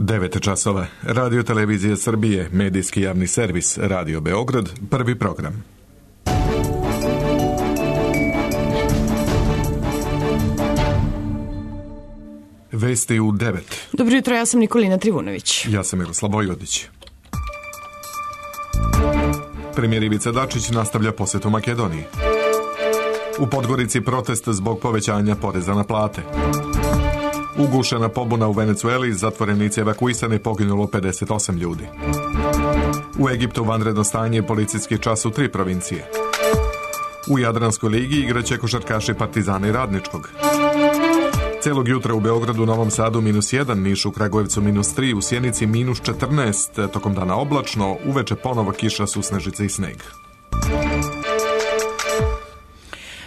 9 časova. Radio Televizije Srbije, medijski javni servis, Radio Beograd, prvi program. Vesti u 9. Dobro jutro, ja sam Nikolina Trivunović. Ja sam Miroslav Vojvodić. Premijer Ivica Dačić nastavlja posjetu Makedoniji. U Podgorici protest zbog povećanja poreza na plate. Ugušena pobuna u Venecueli, zatvorenici evakuisani, poginulo 58 ljudi. U Egiptu vanredno stanje, policijski čas u 3 provincije. U Jadranskoj ligi igraće košarkaši Partizana i Radničkog. Celog jutra u Beogradu, Novom Sadu -1, Nišu, Kragujevcu -3, u Sjenici -14, tokom dana oblačno, uveče ponovo kiša, susnežice i sneg.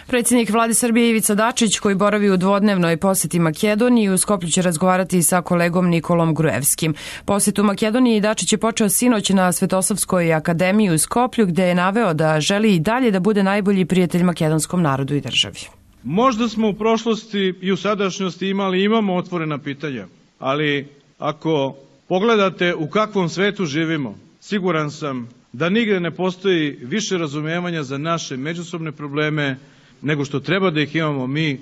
Predsjednik vlade Srbije Ivica Dačić, koji boravi u dvodnevnoj posjeti Makedoniji, u Skoplju će razgovarati sa kolegom Nikolom Gruevskim. Posjet u Makedoniji Dačić je počeo sinoć na Svetosavskoj akademiji u Skoplju, gde je naveo da želi i dalje da bude najbolji prijatelj makedonskom narodu i državi. Možda smo u prošlosti i u sadašnjosti imamo otvorena pitanja, ali ako pogledate u kakvom svetu živimo, siguran sam da nigde ne postoji više razumevanja za naše međusobne probleme nego što treba da ih imamo mi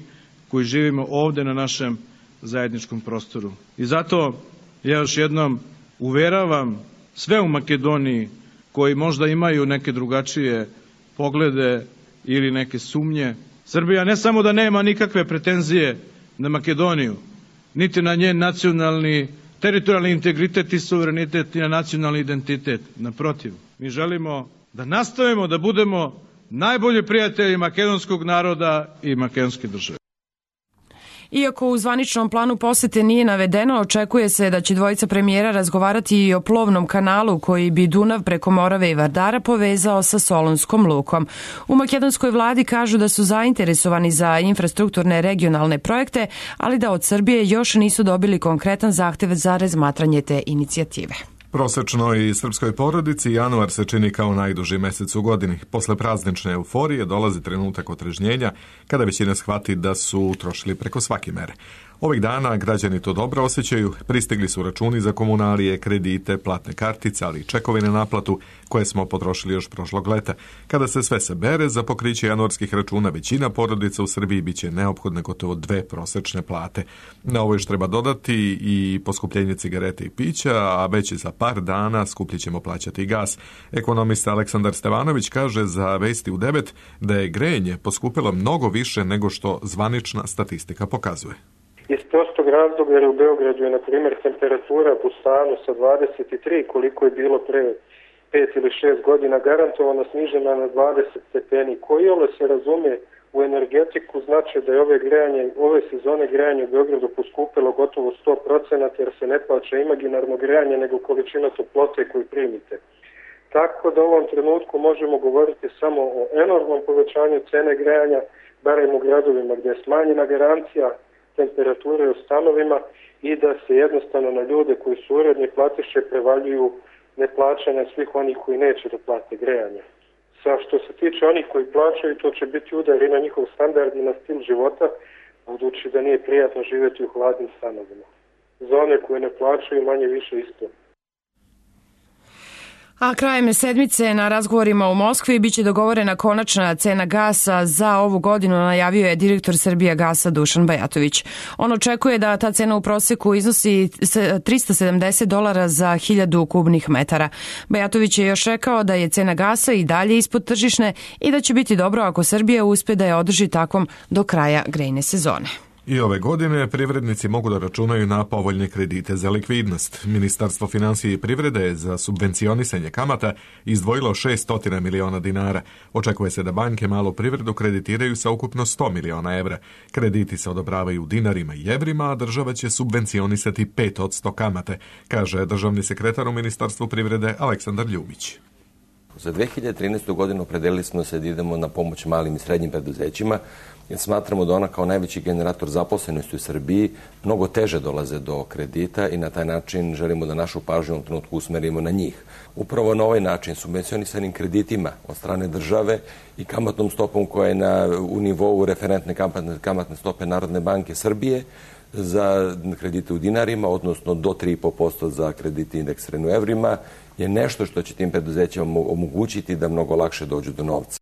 koji živimo ovde na našem zajedničkom prostoru. I zato ja još jednom uveravam sve u Makedoniji koji možda imaju neke drugačije poglede ili neke sumnje. Srbija ne samo da nema nikakve pretenzije na Makedoniju, niti na njen nacionalni, teritorijalni integritet i suverenitet i na nacionalni identitet. Naprotiv, mi želimo da nastavimo da budemo najbolji prijatelji makedonskog naroda i makedonske države. Iako u zvaničnom planu posete nije navedeno, očekuje se da će dvojica premijera razgovarati i o plovnom kanalu koji bi Dunav preko Morave i Vardara povezao sa Solunskom lukom. U makedonskoj vladi kažu da su zainteresovani za infrastrukturne regionalne projekte, ali da od Srbije još nisu dobili konkretan zahtev za razmatranje te inicijative. Prosečnoj srpskoj porodici januar se čini kao najduži mesec u godini. Posle praznične euforije dolazi trenutak otrežnjenja kada većina shvati da su trošili preko svake mere. Ovih dana građani to dobro osjećaju, pristigli su računi za komunalije, kredite, platne kartice, ali i čekovi na naplatu koje smo potrošili još prošlog leta. Kada se sve sabere, za pokriće januarskih računa većina porodica u Srbiji biće neophodne gotovo 2 prosečne plate. Na ovo još treba dodati i poskupljenje cigarete i pića, a već za par dana skuplje ćemo plaćati i gas. Ekonomista Aleksandar Stevanović kaže za Vesti u 9 da je grejanje poskupilo mnogo više nego što zvanična statistika pokazuje. Iz prostog razloga jer u Beogradu je, na primjer, temperatura po stanu sa 23, koliko je bilo pre 5 ili 6 godina, garantovano snižena na 20 stepeni. Koji ovo se razume u energetiku, znači da je ove sezone grejanje u Beogradu poskupilo gotovo 100%, jer se ne plaća imaginarno grejanje, nego količina toplote koju primite. Tako da u ovom trenutku možemo govoriti samo o enormnom povećanju cene grejanja, barem u gradovima gdje je smanjena garancija temperature u stanovima i da se jednostavno na ljude koji su uredni platiše prevaljuju neplaćanja svih onih koji neće da plate grejanje. Što se tiče onih koji plaćaju, to će biti udar i na njihov standard i na stil života, budući da nije prijatno živjeti u hladnim stanovima. Za one koje ne plaćaju, manje više isto. A krajem sedmice na razgovorima u Moskvi biće dogovorena konačna cena gasa za ovu godinu, najavio je direktor Srbijagasa Dušan Bajatović. On očekuje da ta cena u proseku iznosi $370 za 1000 kubnih metara. Bajatović je još rekao da je cena gasa i dalje ispod tržišne i da će biti dobro ako Srbija uspe da je održi takvom do kraja grejne sezone. I ove godine privrednici mogu da računaju na povoljne kredite za likvidnost. Ministarstvo finansije i privrede je za subvencionisanje kamata izdvojilo 600 miliona dinara. Očekuje se da banke malu privredu kreditiraju sa ukupno 100 miliona evra. Krediti se odobravaju u dinarima i evrima, a država će subvencionisati 5% kamate, kaže državni sekretar u Ministarstvu privrede Aleksandar Ljubić. Za 2013. godinu opredelili smo se da idemo na pomoć malim i srednjim preduzećima, jer smatramo da ona kao najveći generator zaposlenosti u Srbiji mnogo teže dolaze do kredita i na taj način želimo da našu pažnju u trenutku usmerimo na njih. Upravo na ovaj način, subvencionisanim kreditima od strane države i kamatnom stopom koja je u nivou referentne kamatne stope Narodne banke Srbije, za kredite u dinarima, odnosno do 3,5% za kredite indeksirane u evrima, je nešto što će tim preduzećima omogućiti da mnogo lakše dođu do novca.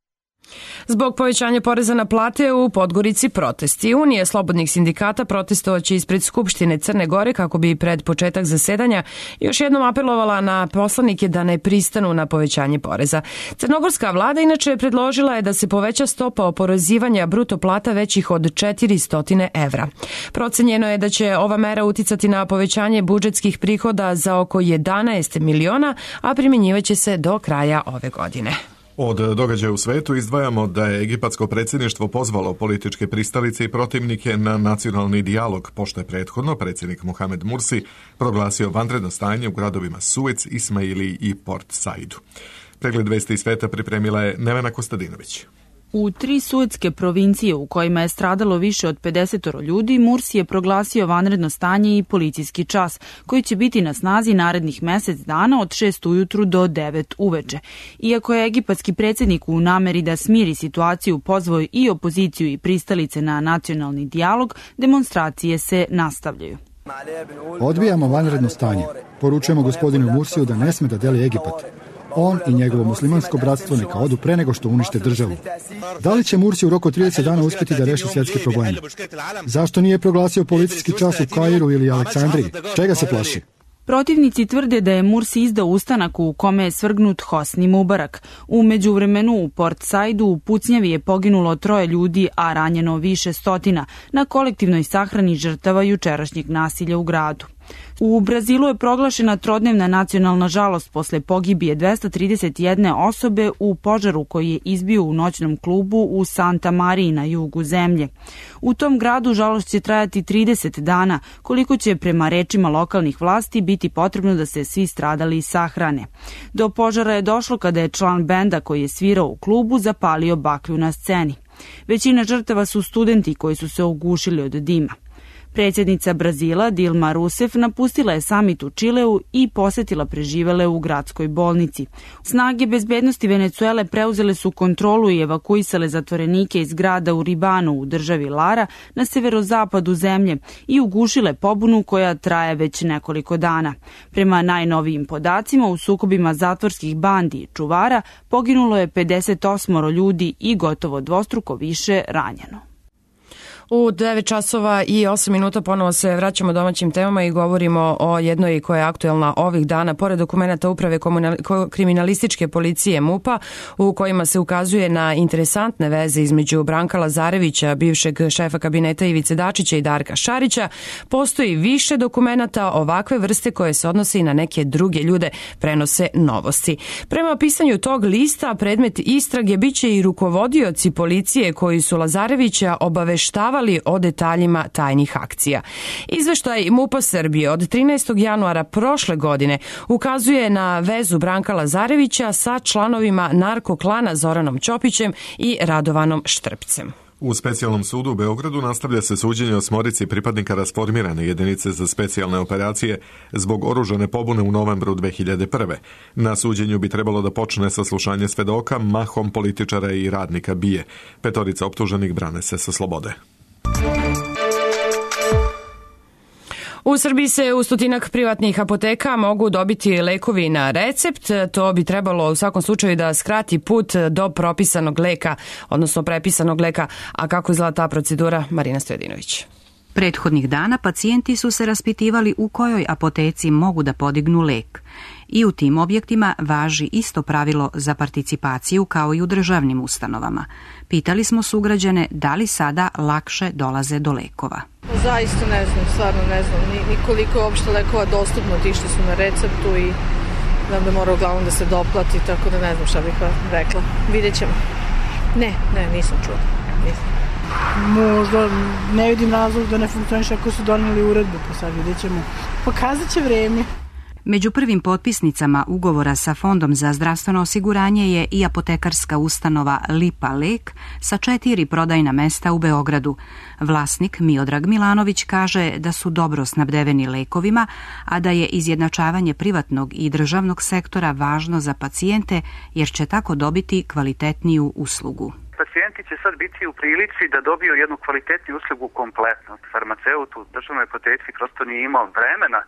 Zbog povećanja poreza na plate u Podgorici protesti. Unije slobodnih sindikata protestovaće ispred Skupštine Crne Gore kako bi pred početak zasedanja još jednom apelovala na poslanike da ne pristanu na povećanje poreza. Crnogorska vlada inače predložila je da se poveća stopa oporezivanja bruto plata većih od 400 evra. Procenjeno je da će ova mera uticati na povećanje budžetskih prihoda za oko 11 miliona, a primjenjivaće se do kraja ove godine. Od događaja u svetu izdvajamo da je egipatsko predsjedništvo pozvalo političke pristalice i protivnike na nacionalni dijalog, pošto je prethodno predsjednik Mohamed Mursi proglasio vanredno stanje u gradovima Suec, Ismaili i Port Saidu. Pregled vesti iz sveta pripremila je Nevena Kostadinović. U 3 suetske provincije u kojima je stradalo više od 50 ljudi, Mursi je proglasio vanredno stanje i policijski čas, koji će biti na snazi narednih mesec dana od 6 ujutru do 9 uveče. Iako je egipatski predsjednik u nameri da smiri situaciju pozvao i opoziciju i pristalice na nacionalni dijalog, demonstracije se nastavljaju. Odbijamo vanredno stanje. Poručujemo gospodinu Mursiju da ne sme da deli Egipat. On i njegovo muslimansko bratstvo neka odu pre nego što unište državu. Da li će Mursi u roku 30 dana uspjeti da reši svjetske probleme? Zašto nije proglasio policijski čas u Kairu ili Aleksandriji? Čega se plaši? Protivnici tvrde da je Mursi izdao ustanak u kome je svrgnut Hosni Mubarak. U međuvremenu u Port Saidu u pucnjavi je poginulo 3 ljudi, a ranjeno više stotina, na kolektivnoj sahrani žrtava jučerašnjeg nasilja u gradu. U Brazilu je proglašena trodnevna nacionalna žalost posle pogibije 231 osobe u požaru koji je izbio u noćnom klubu u Santa Mariji na jugu zemlje. U tom gradu žalost će trajati 30 dana, koliko će prema rečima lokalnih vlasti biti potrebno da se svi stradali sahrane. Do požara je došlo kada je član benda koji je svirao u klubu zapalio baklju na sceni. Većina žrtava su studenti koji su se ogušili od dima. Predsjednica Brazila Dilma Rousseff napustila je samit u Čileu i posetila preživele u gradskoj bolnici. Snage bezbednosti Venecuele preuzele su kontrolu i evakuisale zatvorenike iz grada u Ribanu u državi Lara na severozapadu zemlje i ugušile pobunu koja traje već nekoliko dana. Prema najnovijim podacima, u sukobima zatvorskih bandi i čuvara poginulo je 58 ljudi i gotovo dvostruko više ranjeno. U 9 časova i 8 minuta ponovo se vraćamo domaćim temama i govorimo o jednoj koja je aktuelna ovih dana. Pored dokumenta Uprave kriminalističke policije MUP-a u kojima se ukazuje na interesantne veze između Branka Lazarevića, bivšeg šefa kabineta Ivice Dačića i Darka Šarića, postoji više dokumenata ovakve vrste koje se odnose i na neke druge ljude, prenose Novosti. Prema pisanju tog lista, predmet istrage biće i rukovodioci policije koji su Lazarevića obaveštavali o detaljima tajnih akcija. Izveštaj MUP-a Srbije od 13. januara prošle godine ukazuje na vezu Branka Lazarevića sa članovima narkoklana Zoranom Ćopićem i Radovanom Štrpcem. U specijalnom sudu u Beogradu nastavlja se suđenje 8 pripadnika rasformirane jedinice za specijalne operacije zbog oružane pobune u novembru 2001. Na suđenju bi trebalo da počne saslušanje svedoka, mahom političara i radnika BIA. 5 optuženih brane se sa slobode. U Srbiji se u stotinak privatnih apoteka mogu dobiti lekovi na recept. To bi trebalo u svakom slučaju da skrati put do propisanog leka, odnosno prepisanog leka. A kako izgleda ta procedura? Marina Stojadinović. Prethodnih dana pacijenti su se raspitivali u kojoj apoteci mogu da podignu lek. I u tim objektima važi isto pravilo za participaciju kao i u državnim ustanovama. Pitali smo sugrađane da li sada lakše dolaze do lekova. Zaista ne znam, stvarno ne znam ni koliko je uopšte lekova dostupno tih što su na receptu i da mora uglavnom da se doplati, tako da ne znam šta bih rekla. Vidjet ćemo. Ne, nisam čula. Možda ne vidim razlog da ne funkcioniše ako su donijeli uredbu, pa sad vidjet ćemo. Pokazat će vreme. Među prvim potpisnicama ugovora sa Fondom za zdravstveno osiguranje je i apotekarska ustanova Lipa Lek sa 4 prodajna mesta u Beogradu. Vlasnik Miodrag Milanović kaže da su dobro snabdeveni lekovima, a da je izjednačavanje privatnog i državnog sektora važno za pacijente jer će tako dobiti kvalitetniju uslugu. Pacijenti će sad biti u prilici da dobiju jednu kvalitetnu uslugu kompletno. Farmaceut u državnoj apoteci prosto nije imao vremena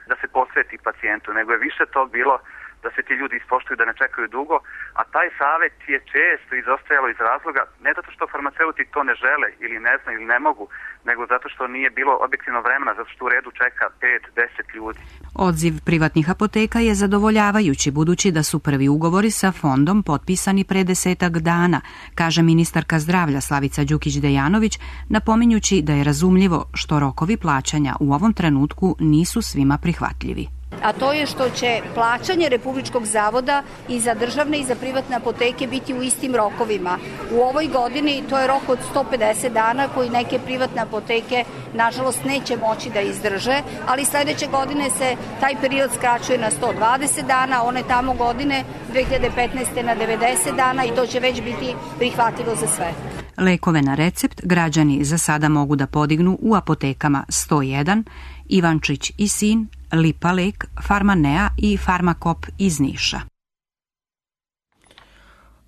da se posveti pacijentu, nego je više to bilo da se ti ljudi ispoštuju, da ne čekaju dugo, a taj savjet je često izostajalo iz razloga, ne zato što farmaceuti to ne žele ili ne znaju ili ne mogu, nego zato što nije bilo objektivno vremena, zato što u redu čeka 5-10 ljudi. Odziv privatnih apoteka je zadovoljavajući, budući da su prvi ugovori sa fondom potpisani pre 10 dana, kaže ministarka zdravlja Slavica Đukić-Dejanović, napominjući da je razumljivo što rokovi plaćanja u ovom trenutku nisu svima prihvatljivi. A to je što će plaćanje Republičkog zavoda i za državne i za privatne apoteke biti u istim rokovima. U ovoj godini to je rok od 150 dana koji neke privatne apoteke nažalost neće moći da izdrže, ali sledeće godine se taj period skraćuje na 120 dana, one tamo godine 2015. na 90 dana i to će već biti prihvatljivo za sve. Lekove na recept građani za sada mogu da podignu u apotekama 101, Ivančić i sin, Lipa Lek, Farmanea i Farmakop iz Niša.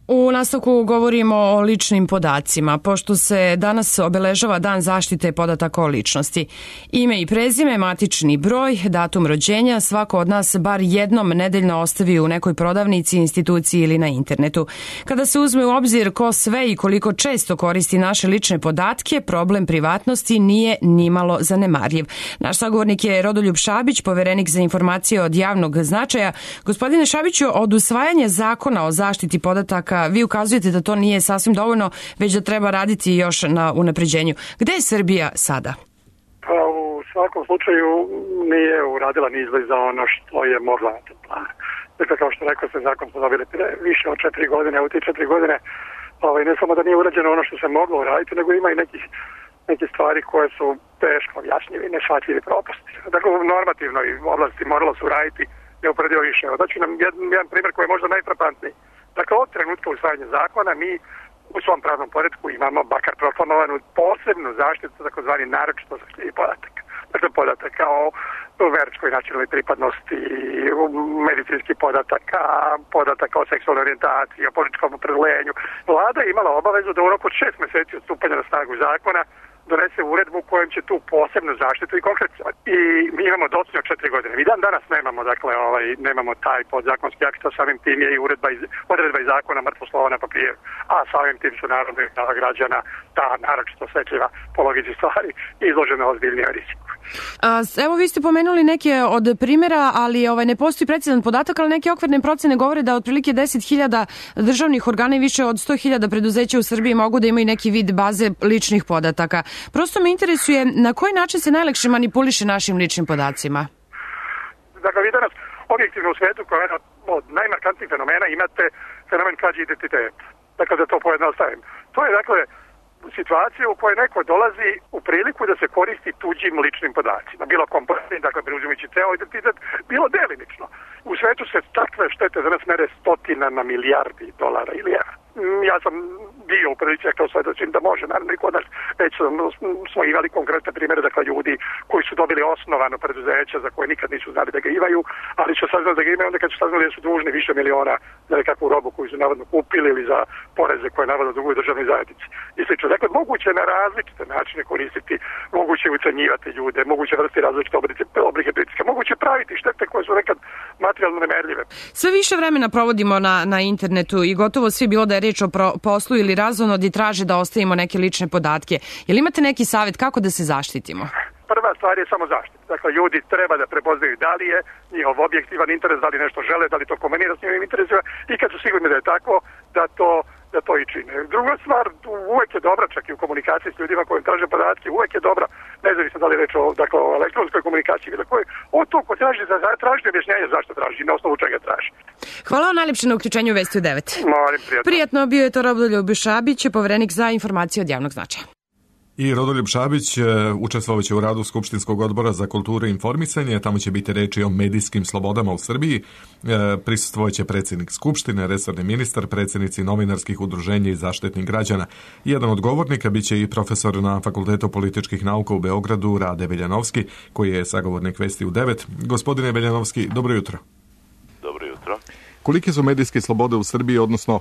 U nastavku govorimo o ličnim podacima, pošto se danas obeležava Dan zaštite podataka o ličnosti. Ime i prezime, matični broj, datum rođenja, svako od nas bar jednom nedeljno ostavi u nekoj prodavnici, instituciji ili na internetu. Kada se uzme u obzir ko sve i koliko često koristi naše lične podatke, problem privatnosti nije nimalo zanemarljiv. Naš sagovornik je Rodoljub Šabić, poverenik za informacije od javnog značaja. Gospodine Šabiću, od usvajanja zakona o zaštiti podataka vi ukazujete da to nije sasvim dovoljno, već da treba raditi još na unapređenju. Gde je Srbija sada? Pa u svakom slučaju nije uradila ni izgled za ono što je mogla. Dakle, kao što rekao se, zakon smo dobili više od 4 godine, a u tih 4 godine ne samo da nije urađeno ono što se moglo uraditi, nego ima i neke stvari koje su teško objašnjivi i neshvatljivi propusti. Dakle, u normativnoj oblasti moralo se uraditi neuporedivo više. Daću nam jedan primjer koji je možda najfrapantniji. Dakle, od trenutka usvajanja zakona mi u svom pravnom poretku imamo makar proklamovanu posebnu zaštitu, takozvani naročito zaštitljivih podataka. Dakle, podataka o verskoj nacionalnoj pripadnosti, medicinskih podataka o seksualnoj orijentaciji, o političkom opredeljenju. Vlada je imala obavezu da u roku od 6 meseci od stupanja na snagu zakona donese uredbu kojom će tu posebnu zaštitu i konkretizovati. I mi imamo docnje od 4 godine. Mi dan danas nemamo, nemamo taj podzakonski akt, a samim tim je i odredba iz zakona mrtvo slovo na papiru. A samim tim su naravno građana ta naročito osetljiva po logici stvari izložena ozbiljnijoj riziku. Evo vi ste pomenuli neke od primjera, ali ne postoji precizan podatak, ali neke okvirne procene govore da otprilike 10.000 državnih organa i više od 100.000 preduzeća u Srbiji mogu da imaju neki vid baze ličnih podataka. Prosto me interesuje na koji način se najlakše manipuliše našim ličnim podacima? Dakle, vi danas objektivno u svetu koja je od najmarkantnijih fenomena imate fenomen krađe identiteta. Dakle, da to pojednostavim. To je, situacija u kojoj neko dolazi u priliku da se koristi tuđim ličnim podacima. Bilo komponentni, dakle, preuzimajući ceo identitet, bilo delimično. U svetu se takve štete danas mere stotinama milijardi dolara ili evra. Ja sam bio u prilici, kao svedočim da može, naravno i kod nas, već smo imali konkretne primjere, dakle, ljudi koji su dobili osnovano preduzeća za koje nikad nisu znali da ga imaju, ali su saznali da ga imaju onda kad su saznali da su dužni više miliona za nekakvu robu koju su navodno kupili ili za poreze koje navodno duguju državnoj zajednici. I slično. Dakle, moguće na različite načine koristiti, moguće ucenjivati ljude, moguće vrsti različite oblike pritiska, moguće praviti štete koje su nekad materijalno nemerljive. Sve više vremena provodimo na internetu i gotovo svi, bilo da je reč o poslu ili razonodi, traže da ostavimo neke lične podatke. Jel imate neki savjet kako da se zaštitimo? Prva stvar je samo zaštita. Dakle, ljudi treba da prepoznaju da li je njihov objektivan interes, da li nešto žele, da li to kombinira s njihovim interesima i kad su sigurni da je tako, da to i čine. Druga stvar, uvek je dobra, čak i u komunikaciji s ljudima koji traže podatke, uvek je dobra, nezavisno da li je reč o elektronskoj komunikaciji ili koji, od to ko traži objašnjenje zašto traži i na osnovu čega traži. Hvala vam najlepše na uključenju u Vesti u 9. Molim, prijatno. Prijatno, bio je to Rodoljub Šabić, poverenik za informacije od javnog značaja. I Rodoljub Šabić učestvovaće u radu Skupštinskog odbora za kulturu i informisanje. Tamo će biti reči o medijskim slobodama u Srbiji. Prisustvovaće predsjednik Skupštine, resorni ministar, predsjednici novinarskih udruženja i zaštitnik građana. Jedan od govornika biće i profesor na Fakultetu političkih nauka u Beogradu, Rade Veljanovski, koji je sagovornik Vesti u 9. Gospodine Veljanovski, dobro jutro. Dobro jutro. Kolike su medijske slobode u Srbiji, odnosno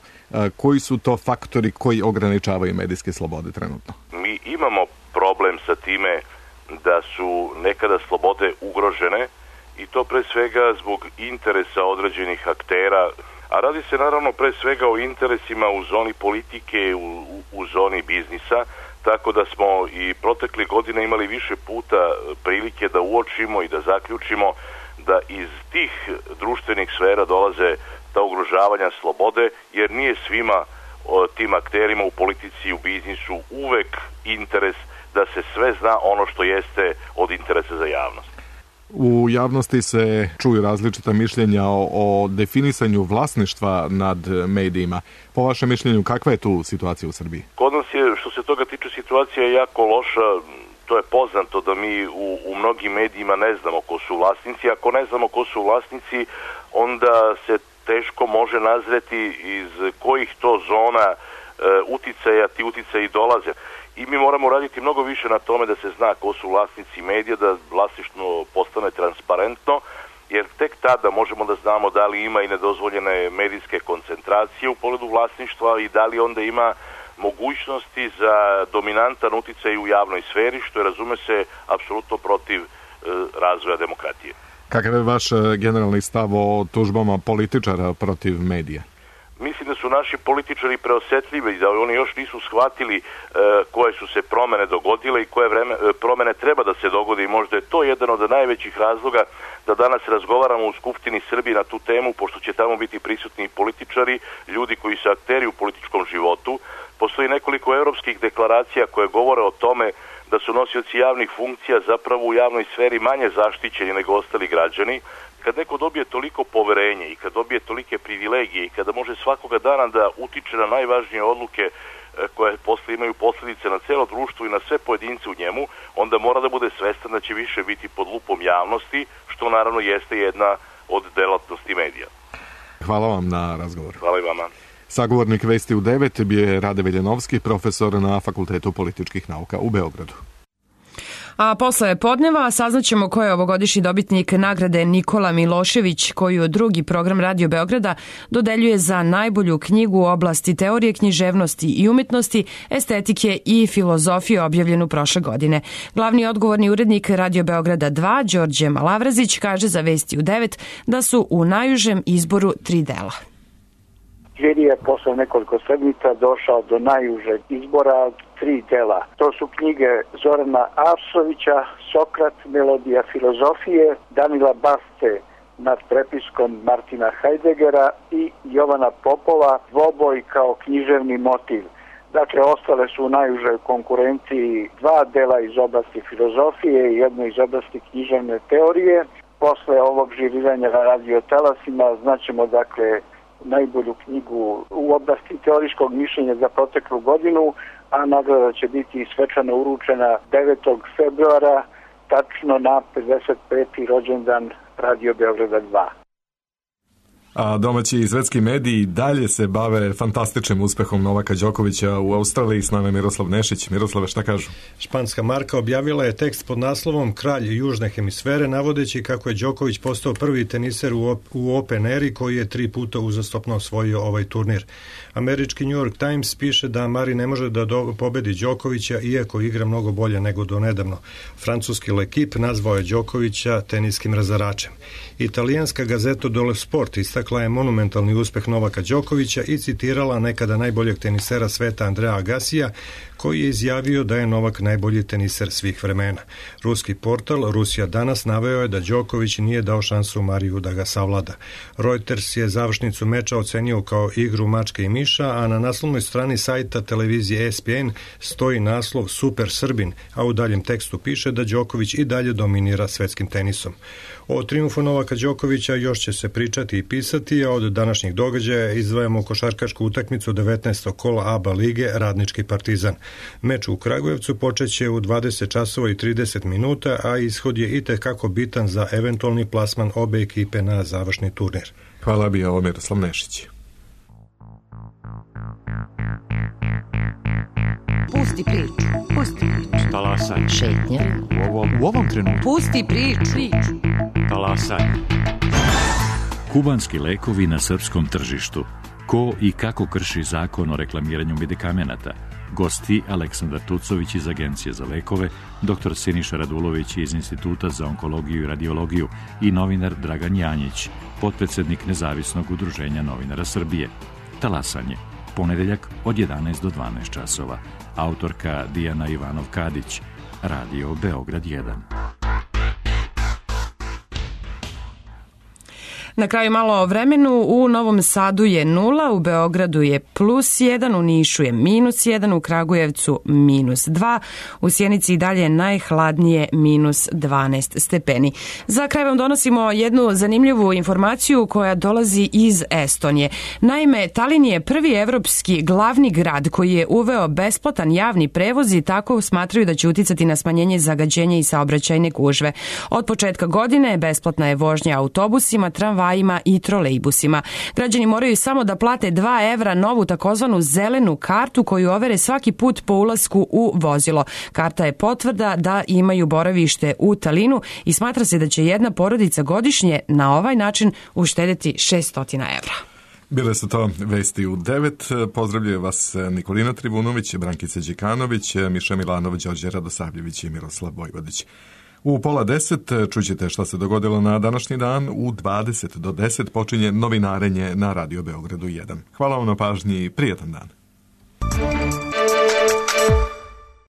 koji su to faktori koji ograničavaju medijske slobode trenutno? Mi imamo problem sa time da su nekada slobode ugrožene i to pre svega zbog interesa određenih aktera, a radi se naravno pre svega o interesima u zoni politike, u zoni biznisa, tako da smo i protekle godine imali više puta prilike da uočimo i da zaključimo da iz tih društvenih sfera dolaze ta ugrožavanja slobode, jer nije svima tim akterima u politici i u biznisu uvek interes da se sve zna ono što jeste od interesa za javnost. U javnosti se čuju različita mišljenja o definisanju vlasništva nad medijima. Po vašem mišljenju, kakva je tu situacija u Srbiji? Kod nas je, što se toga tiče, situacija je jako loša. To je poznato da mi u mnogim medijima ne znamo ko su vlasnici. Ako ne znamo ko su vlasnici, onda se teško može nazreti iz kojih to zona uticaja ti uticaji dolaze. I mi moramo raditi mnogo više na tome da se zna ko su vlasnici medija, da vlasništvo postane transparentno, jer tek tada možemo da znamo da li ima i nedozvoljene medijske koncentracije u pogledu vlasništva i da li onda ima mogućnosti za dominantan uticaj u javnoj sferi, što je, razume se, apsolutno protiv razvoja demokratije. Kakav je vaš generalni stav o tužbama političara protiv medija? Mislim da su naši političari preosetljivi, da oni još nisu shvatili koje su se promene dogodile i koje promene treba da se dogode i možda je to jedan od najvećih razloga da danas razgovaramo u Skupštini Srbije na tu temu, pošto će tamo biti prisutni političari, ljudi koji su akteri u političkom životu. Postoji nekoliko evropskih deklaracija koje govore o tome da su nosioci javnih funkcija zapravo u javnoj sferi manje zaštićeni nego ostali građani. Kad neko dobije toliko poverenje i kad dobije tolike privilegije i kada može svakoga dana da utiče na najvažnije odluke koje posle imaju posljedice na celo društvo i na sve pojedince u njemu, onda mora da bude svestan da će više biti pod lupom javnosti, što naravno jeste jedna od delatnosti medija. Hvala vam na razgovor. Hvala i vama. Sagovornik Vesti u 9 bio je Rade Veljanovski, profesor na Fakultetu političkih nauka u Beogradu. A posle podneva saznaćemo ko je ovogodišnji dobitnik nagrade Nikola Milošević, koju drugi program Radio Beograda dodeljuje za najbolju knjigu u oblasti teorije književnosti i umetnosti, estetike i filozofije, objavljenu prošle godine. Glavni odgovorni urednik Radio Beograda 2, Đorđe Malavrazić, kaže za Vesti u 9 da su u najužem izboru 3 dela. Žiri je posle nekoliko sedmica došao do najužeg izbora 3 dela. To su knjige Zorana Arsovića, Sokrat, Melodija filozofije, Danila Basce nad prepiskom Martina Heideggera i Jovana Popova, Dvoboj kao književni motiv. Dakle, ostale su u najužoj konkurenciji 2 dela iz oblasti filozofije i jedno iz oblasti književne teorije. Posle ovog žiriranja na radio talasima znaćemo, dakle, najbolju knjigu u oblasti teorijskog mišljenja za proteklu godinu, a nagrada će biti svečano uručena 9. februara, tačno na 55. rođendan Radio Beograda 2. A domaći i svetski mediji dalje se bave fantastičnim uspehom Novaka Đokovića u Australiji. S nama je Miroslav Nešić. Miroslave, šta kažu? Španska marka objavila je tekst pod naslovom Kralj južne hemisfere, navodeći kako je Đoković postao prvi teniser u Open Eri koji je 3 puta uzastopno osvojio ovaj turnir. Američki New York Times piše da Mari ne može da pobedi Đokovića iako igra mnogo bolje nego donedavno. Francuski L'Equipe nazvao je Đokovića teniskim razaračem. Italijanska gazeta Dole Sport istakla je monumentalni uspeh Novaka Đokovića i citirala nekada najboljeg tenisera sveta Andrea Agassija, koji je izjavio da je Novak najbolji teniser svih vremena. Ruski portal Rusija danas naveo je da Đoković nije dao šansu Mariju da ga savlada. Reuters je završnicu meča ocenio kao igru mačke i miša, a na naslovnoj strani sajta televizije ESPN stoji naslov Super Srbin, a u daljem tekstu piše da Đoković i dalje dominira svetskim tenisom. O triumfu Novaka Đokovića još će se pričati i pisati, a od današnjih događaja izdvajamo košarkašku utakmicu 19. kola ABA lige Radnički Partizan. Meč u Kragujevcu počeće u 20 časova i 30 minuta, a ishod je itekako bitan za eventualni plasman obe ekipe na završni turnir. Hvala, bio ovo Miroslav Nešić. Pusti priču, pusti priču. Talasaj. Šetnja. U ovom trenutku. Pusti priču. Talasaj. Kubanski lekovi na srpskom tržištu. Ko i kako krši zakon o reklamiranju medikamenata? Gosti Aleksandar Tucović iz Agencije za lekove, dr. Siniša Radulović iz Instituta za onkologiju i radiologiju i novinar Dragan Janjić, potpredsednik Nezavisnog udruženja novinara Srbije. Talasanje. Ponedeljak od 11 do 12 časova. Autorka Dijana Ivanov-Kadić. Radio Beograd 1. Na kraju malo o vremenu. U Novom Sadu je 0, u Beogradu je +1, u Nišu je -1, u Kragujevcu -2, u Sjenici i dalje najhladnije -12 stepeni. Za kraj vam donosimo jednu zanimljivu informaciju koja dolazi iz Estonije. Naime, Talin je prvi evropski glavni grad koji je uveo besplatan javni prevoz i tako smatraju da će uticati na smanjenje zagađenja i saobraćajne gužve. Od početka godine besplatna je vožnja autobusima, tramvajima i trolejbusima. Građani moraju samo da plate 2 evra novu takozvanu zelenu kartu koju overe svaki put po ulasku u vozilo. Karta je potvrda da imaju boravište u Talinu i smatra se da će jedna porodica godišnje na ovaj način uštedeti 600 evra. Bile su to vesti u 9. Pozdravljaju vas Nikolina Trivunović, Brankica Đikanović, Miša Milanov, Đorđe Radosavljević i Miroslav Vojvodić. U 9:30 čućete šta se dogodilo na današnji dan. U 20 do 10 počinje novinarenje na Radio Beogradu 1. Hvala vam na pažnji i prijetan dan.